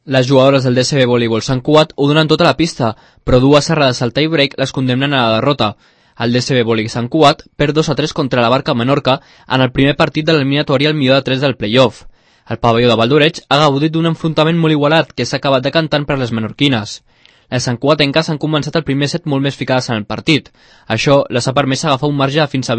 Les jugadores del DSB Voleibol Sant Cugat ho donen tota la pista, però dues errades al tie-break les condemnen a la derrota. El DSB Voleibol Sant Cugat perd 2-3 contra la Barca Menorca en el primer partit de l'eliminatòria al millor de 3 del play-off. El pavelló de Valdoreig ha gaudit d'un enfrontament molt igualat que s'ha acabat decantant per les menorquines. Les santcugatenques han començat el primer set molt més ficades en el partit. Això les ha permès agafar un marge fins a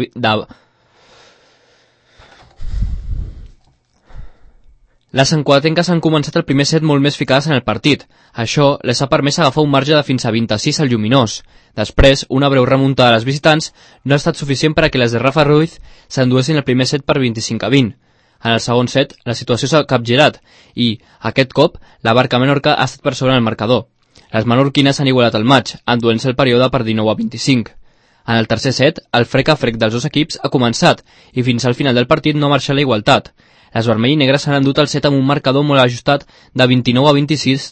Les santcugatenques han començat el primer set molt més ficades en el partit. Això les ha permès agafar un marge de fins a 26 al Lluminós. Després, una breu remuntada de les visitants no ha estat suficient per a que les de Rafa Ruiz s'enduessin el primer set per 25-20. En el segon set, la situació s'ha capgirat i, aquest cop, la Barca Menorca ha estat per sobre el marcador. Les menorquines han igualat el maig, enduent-se el període per 19-25. En el tercer set, el frec a frec dels dos equips ha començat i fins al final del partit no ha marxat la igualtat. Les vermell i negres s'han endut el set amb un marcador molt ajustat de 29-26.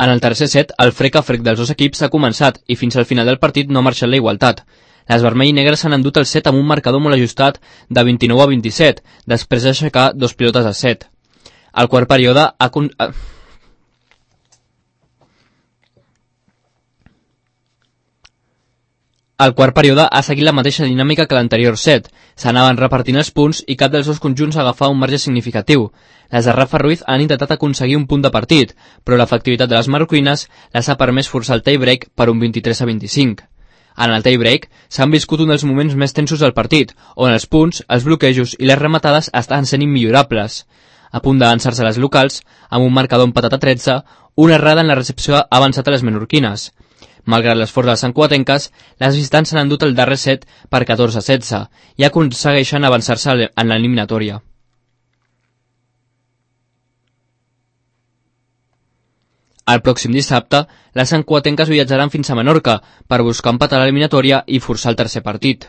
En el tercer set, el frec a frec dels dos equips ha començat i fins al final del partit no ha marxat la igualtat. Les vermell i negres s'han endut el set amb un marcador molt ajustat de 29-27, després d'aixecar dos pilotes a set. El quart període ha seguit la mateixa dinàmica que l'anterior set. S'anaven repartint els punts i cap dels dos conjunts agafava un marge significatiu. Les de Rafa Ruiz han intentat aconseguir un punt de partit, però l'efectivitat de les menorquines les ha permès forçar el tie-break per un 23-25. En el tie-break s'han viscut un dels moments més tensos del partit, on els punts, els bloquejos i les rematades estan sent immillorables. A punt d'avançar-se les locals, amb un marcador empatat a 13, una errada en la recepció ha avançat a les menorquines. Malgrat l'esforç de les santcugatenques, les visitants s'han endut el darrer set per 14-16 i aconsegueixen avançar-se en l'eliminatòria. El pròxim dissabte, les santcugatenques viatjaran fins a Menorca per buscar empatar l'eliminatòria i forçar el tercer partit.